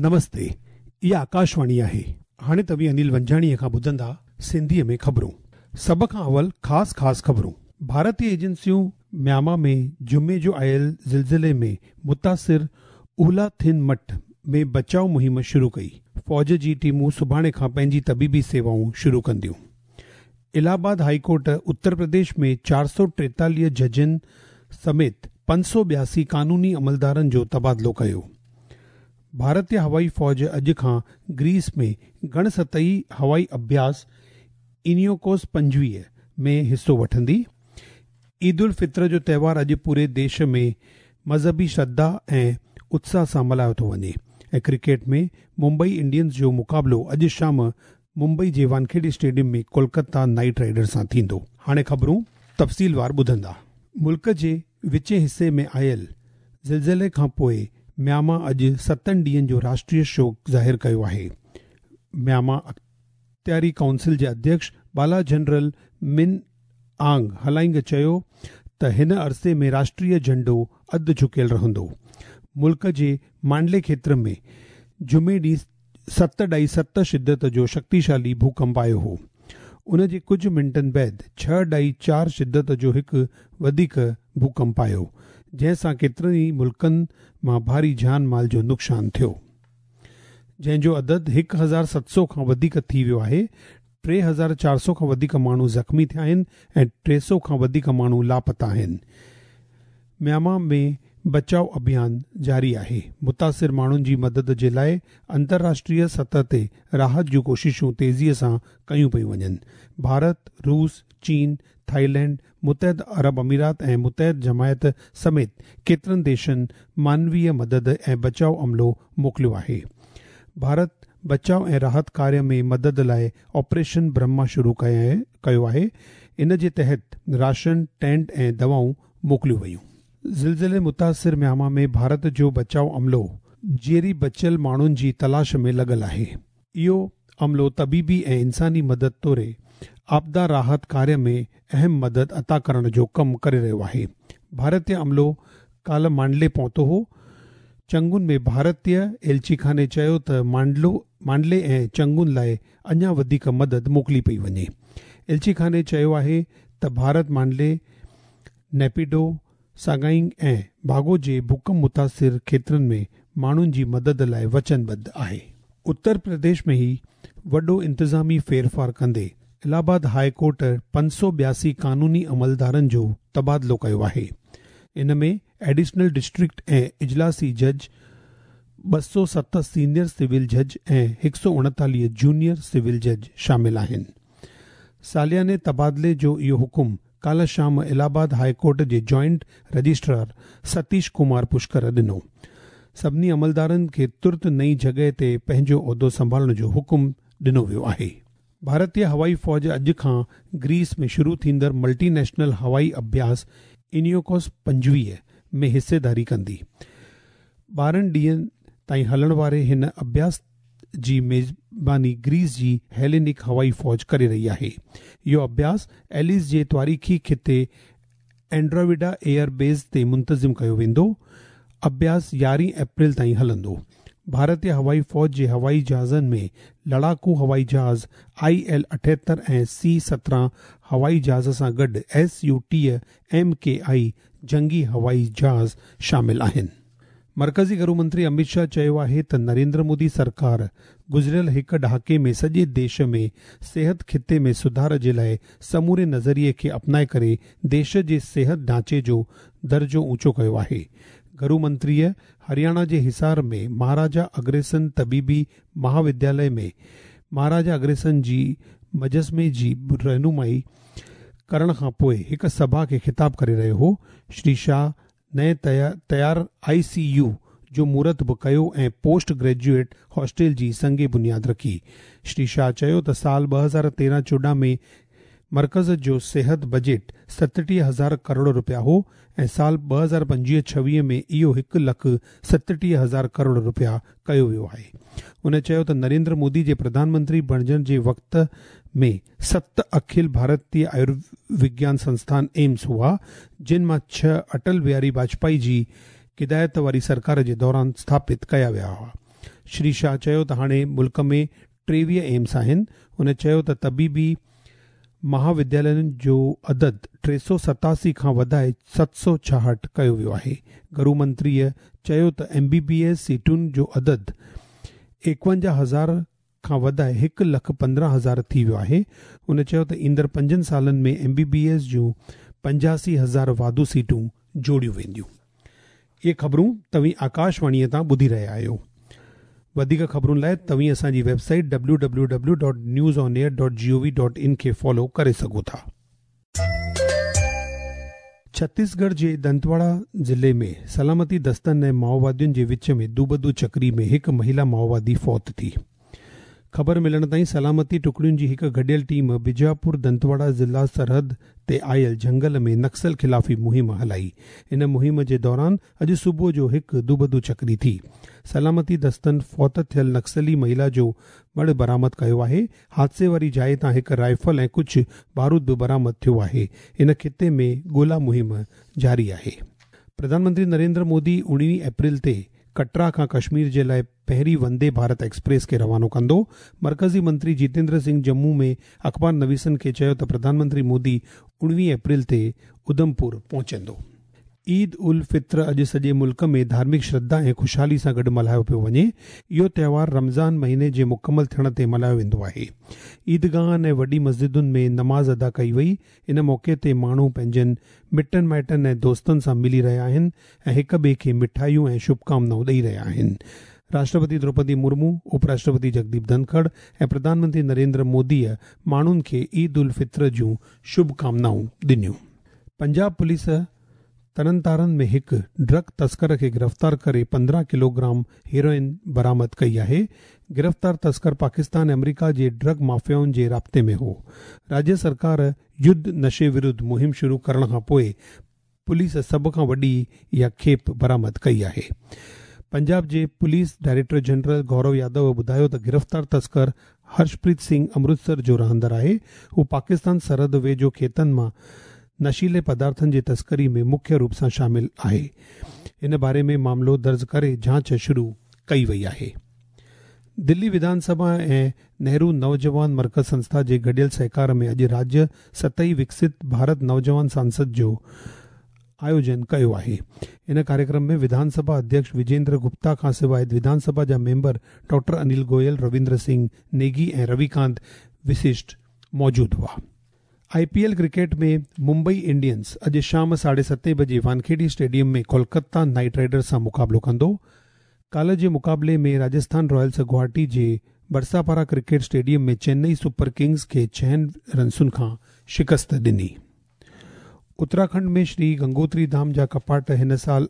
نمستي، اها آڪاشواڻي آهي. هاڻي توهين انيل ونجاڻيء کان ٻڌندا سنڌيء ۾ خبرون. سڀ کان اول خاص خاص خبرون. ڀارتي ايجنسيون ميانما ۾ جمعي جو آيل زلزلي ۾ متاثر اولا ٿن مٺ ۾ بچاء مهم شروع ڪئي. فوج جي ٽيمون سڀاڻي کان پنهنجي طبيبي سيوائون شروع ڪنديون. الهه آباد هائي ڪورٽ اتر پرديش ۾ 443 ججن سميت 582 قانوني عملدارن جو تبادلو ڪيو. ڀارتي هوائي فوج اڄ کان گريس ۾ گهڻ سطحي هوائي اڀياس اينيوڪوس 25 ۾ حصو وٺندي. عيد الفطر جو تهوار اڄ پوري ديش ۾ مذهبي شرڌا ۽ اتساهه سان ملهايو ٿو وڃي ۽ ڪرڪيٽ ۾ ممبئي انڊينز جو مقابلو اڄ شام ممبئي جي Wankhede stadium ۾ Kolkata Knight Riders سان ٿيندو. هاڻي خبرون تفصيلوار ٻڌندا. ملڪ جي وچين حصي ۾ آيل زلزلي کان پوء ميانما اڄ ستن ڏينهن جو راشٽريه شوڪ ظاهر ڪيو آهي. ميانما اختياري ڪائونسل جي اڌيڪش بالا جنرل من آنگ هلائنگ چيو ته هن عرصي ۾ راشٽريه جهنڊو اڌ جهڪيل رهندو. ملڪ جي مانڊلي کيتر ۾ جمعي ڏينهن 7.7 شدت جو شڪتيشالي ڀوڪمپ آيو هو. ان جي ڪجهه منٽن بعد 6.4 شدت جو هڪ وڌيڪ ڀوڪمپ آيو، جنهن سان ڪيترن ئي ملڪن مان ڀاري جان مال جو نقصان ٿيو. جنهن جو عدد 1700 کان وڌيڪ ٿي ويو آهي. 3400 کان وڌيڪ ماڻهو زخمي ٿيا آهن ۽ 300 کان وڌيڪ ماڻهو لاپتا آهن. ميانما ۾ بچاء اڀيان جاري آهي. متاثر ماڻهن جي مدد جي لاء انترراشٽريه سطح تي راحت جون ڪوششون تيزيء سان ڪيون پيون وڃن. ڀارت، روس، چين، ٿائيلينڊ، متحده عرب امارات ۽ متحده جماعت سميت ڪيترن ديشن مانويه مدد ۽ بچاء عملو موڪليو آهي. ڀارت بچاء ۽ راحت ڪاريه ۾ مدد لاء آپريشن برهما شروع ڪيو آهي، ان جي تحت راشن، ٽينٽ ۽ دوائون موڪليون ويون. زلزلي متاثر ميانما ۾ ڀارت جو بچاء عملو جيئري بچيل ماڻهن جي تلاش ۾ لڳل آهي. اهو عملو طبيبي ۽ انساني مدد توڙي آپدا راحت ڪاريه ۾ اهم مدد عطا ڪرڻ جو ڪم ڪري رهيو آهي. ڀارتي عملو ڪالهه مانڊلي پهتو هو. چنگون ۾ ڀارتي ايلچيخاني چيو ته مانڊلي ۽ چنگون لاء اڃا وڌيڪ مدد موڪلي پئي وڃي. ايلچيخاني چيو آهي ته ڀارت مانڊلي، نيپيڊو، ساگائنگ ۽ باگو جي ڀوڪمپ متاثر کيترن ۾ ماڻهن جي مدد لاء وچنبڌ آهي. اتر پرديش ۾ هي وڏو انتظامي ڦيرڦار ڪندي الهه آباد هاء ڪورٽ 582 قانوني عملدارن جو تبادلو ڪيو آهي. ان ۾ ايڊيشنل ڊسٽرڪٽ ۽ اجلاسي جج، 207 سينيئر سول جج ۽ 139 جونيئر سول جج شامل آهن. سالياني تبادلي جو اهو حڪم ڪالهه شام الهه آباد هاء ڪورٽ جي جوائنٽ رجسٽرار ستيش ڪمار پشڪر ڏنو. سڀني عملدارن کي ترت نئين جڳهه تي پنهنجو عهدو سنڀالڻ جو حڪم ڏنو ويو آهي. ڀارتي هوائي فوج اڄ کان گريس ۾ شروع ٿيندڙ ملٽي نيشنل هوائي اڀياس اينيوڪوس 25 ۾ حصيداري ڪندي. 12 ڏينهن تائين هلڻ واري هن اڀياس جي ميزباني گريس جي هيلينڪ هوائي فوج ڪري رهي آهي. اهو اڀياس ايليز جي تواريخي خطي اينڊراويڊا ايئر بيس تي منتظم ڪيو ويندو. اڀياس 11 اپريل تائين هلندو. ڀارتي هوائي فوج جي هوائي جهازن ۾ لڙاڪو هوائي جهاز I L 78 ۽ سي 17 هوائي جهاز سان گڏ ايس يو 30 ايم ڪي آئي جنگي هوائي جهاز شامل آهن. مرڪزي گهرو منتري امت شاهه چيو آهي ته نريندر مودي سرڪار گذريل هڪ ڏهاڪي ۾ سڄي ديش ۾ صحت خطي ۾ سڌار جي لاء سموري نظريي کي اپنائي ڪري ديش جي صحت ڍانچي جو درجو اوچو ڪيو آهي. گهرو منتريء هرياڻا جي حصار ۾ مهاراجا اگرسين طبيبي مهاودياليه ۾ مهاراجا اگرسين جي مجسمي جي رونمائي ڪرڻ کان پوء هڪ سڀا کي خطاب ڪري رهيو هو. شري شاهه نئين تيار آء سي يو جو مهورت به ڪيو ۽ پوسٽ گريجوئيٽ هاسٽل جي سنگ بنياد رکي. شري شاهه چيو ته سال 2013-14 ۾ مرڪز جو صحت بجيٽ 37 هزار ڪروڙ رپيا هو ۽ سال 2025-26 ۾ اهو 1,37,000 ڪروڙ رپيا ڪيو ويو آهي. هن چيو ته نريندر مودي جي پرڌان منتري بڻجڻ جي وقت ۾ ست اکل ڀارتيه آيوروگيان سنسٿان ايمس هئا، جن مان 6 اٽل بهاري واجپائي جي قيادت واري سرڪار جي دوران اسٿاپت ڪيا ويا هئا. شري شاهه چيو ته هاڻي ملڪ ۾ 23 ايمس آهن. هن چيو ته طبيبي مها وديالين جو عدد 387 کان وڌائي 766 ڪيو ويو آهي. گهرو منتريء چيو ته ايم بي بي ايس سيٽن جو عدد 51 هزار کان وڌائي هڪ لک 15 هزار ٿي ويو آهي. هن چيو ته ايندڙ پنجن سالن ۾ ايم بي بي ايس جون 85 هزار واڌو سيٽون جوڙيون وينديون. اهي خبرون توهين آڪاشواڻيء تان ٻڌي رهيا آهيو. وڌيڪ خبرن لاء توهين اسان جي web site www.newsonair.gov.in کي فالو ڪري سگهو ٿا. ڇتيسڳڙهه جي دنتواڙا ضلعي ۾ سلامتي دستن ۽ مائووادين جي وچ ۾ دوبدو چڪري ۾ هڪ مهيلا مائووادي فوت ٿي. خبر ملڻ تائين سلامتي ٽڪڙين جي هڪ گڏيل ٽيم بيجاپور دنتواڙا ضلع سرحد تي آيل جهنگل ۾ نڪسل خلافي مهم هلائي. ان مهم جي دوران اڄ صبح جو هڪ دوبدو چڪري ٿي. سلامتي دستن فوت ٿيل نڪسلي مهيلا جو مڙهه برآمد ڪيو آهي. حادثي واري جاء تان هڪ رائفل ۽ ڪجهه بارود به برآمد ٿيو آهي. ان خطي ۾ ڳولا مهم جاري آهي. پرڌان منتري نريندر مودي 19 اپريل تي ڪٽرا کان ڪشمير جي لاء پهرين وندي ڀارت ايڪسپريس کي روانو ڪندو. مرڪزي منتري جيتيندر سنگهه ڄمون ۾ اخبار نويسن کي چيو ته پرڌان منتري مودي 19 اپريل تي اڌمپور پهچندو. عيد الفطر اڄ سڄي ملڪ ۾ ڌارمڪ شرڌا ۽ خوشحالي سان گڏ ملهايو پيو وڃي. اهو تهوار رمضان مهيني جي مڪمل ٿيڻ تي ملهايو ويندو آهي. عيدگاهن ۽ وڏي مسجدن ۾ نماز ادا ڪئي وئي. ان موقعي تي ماڻهو پنهنجن مٽن مائٽن ۽ دوستن سان ملي رهيا آهن ۽ هڪ ٻئي کي مٺايون ۽ شڀڪامنائون ڏئي رهيا آهن. راشٽرپتي دروپدي مرمو، اپ راشٽرپتي جگديپ ڌنکڙ ۽ پرڌان منتري نريندر موديء ماڻهن کي عيد الفطر جون شڀڪامنائون ڏنيون. پنجاب پوليس ترنتارن ۾ هڪ ڊرگ تسڪر کي گرفتار ڪري 15 ڪلوگرام هيروئن برآمد ڪئي آهي. گرفتار تسڪر پاڪستان ۽ آمريڪا جي ڊرگ مافيائن جي رابطي ۾ هو. راجيه سرڪار يڌ نشي ورڌ مهم شروع ڪرڻ کان پوء پوليس سڀ کان وڏي اها کيپ برآمد ڪئي آهي. پنجاب جي police director general Gaurav Yadav ٻڌايو ته گرفتار تسڪر هرشپريت سنگهه امرتسر جو رهندڙ آهي. هو پاڪستان سرحد ويجهو کيتن مان نشيلي پدارٿن جي تسڪري ۾ مکيه روپ سان شامل آهي. ان باري ۾ معاملو درج ڪري جاچ شروع ڪئي وئي آهي. دلي وڌان سڀا ۽ نهرو نوجوان مرڪز سنسٿا جي گڏيل سهڪار ۾ اڄ راجيه سطحي وڪست ڀارت نوجوان سانسد جو آيوجن ڪيو آهي. ان ڪاريڪرم ۾ وڌان سڀا اڌيڪش وجيندر گپتا کان سواء وڌان سڀا جا ميمبر ڊاڪٽر انيل گويل، رويندر سنگهه نيگي ۽ روي ڪانت وششٽ موجود هئا. I P L cricket ۾ Mumbai Indians اڄ شام ساڍي ستين بجي Wankhede stadium ۾ Kolkata Knight Riders سان مقابلو ڪندو. ڪالهه جي مقابلي ۾ راجسٿان رائلز گوهاٽي جي Barsapara cricket stadium ۾ Chennai super kings کي ڇهن رنسن کان شڪست ڏني. اتراکنڊ ۾ شري گنگوتري ڌام جا ڪپاٽ هن سال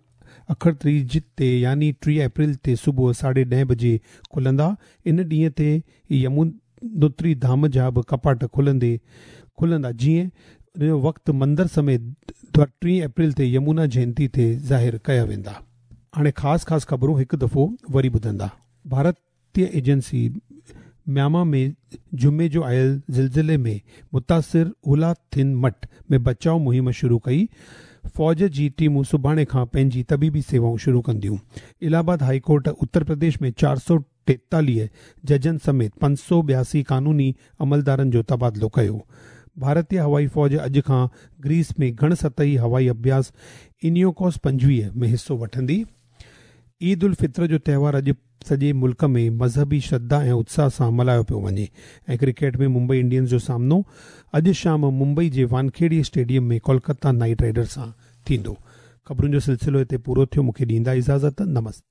اکڙ تيج تي يعني 30 اپريل تي صبح ساڍي ڏهين بجي کلندا. ان ڏينهن تي يمونوتري ڌام جا به ڪپاٽ کلندي کلندا جيئن ان جو وقت مندر سميت 30 اپريل تي يمونا جينتي تي ظاهر ڪيا ويندا. هاڻي خاص خاص خبرون هڪ دفعو وري ٻڌندا. ڀارتي ايجنسي ميانما ۾ جمعي جو آيل زلزلي ۾ متاثر هولا ٿن مٽ ۾ بچاء مهم شروع ڪئي. فوج جي ٽيمون سڀاڻي کان پنهنجي طبيبي سيوائون شروع ڪنديون. الهه آباد هائي ڪورٽ اتر پرديش ۾ 443 ججن سميت 582 قانوني عملدارن جو تبادلو ڪيو. ڀارتي هوائي فوج اڄ کان گريس ۾ گهڻ سطحي هوائي اڀياس انيوڪوس 25 ۾ حصو وٺندي. عيد الفطر جو تهوار اڄ سڄي ملڪ ۾ مذهبي شرڌا ۽ اتساهه سان ملهايو پيو وڃي ۽ ڪرڪيٽ ۾ ممبئي انڊينز جو سامنو اڄ شام ممبئي جي Wankhede stadium ۾ Kolkata Knight Riders سان ٿيندو. خبرن جو سلسلو هتي پورو ٿيو مونکي ڏيندا اجازت نمستي.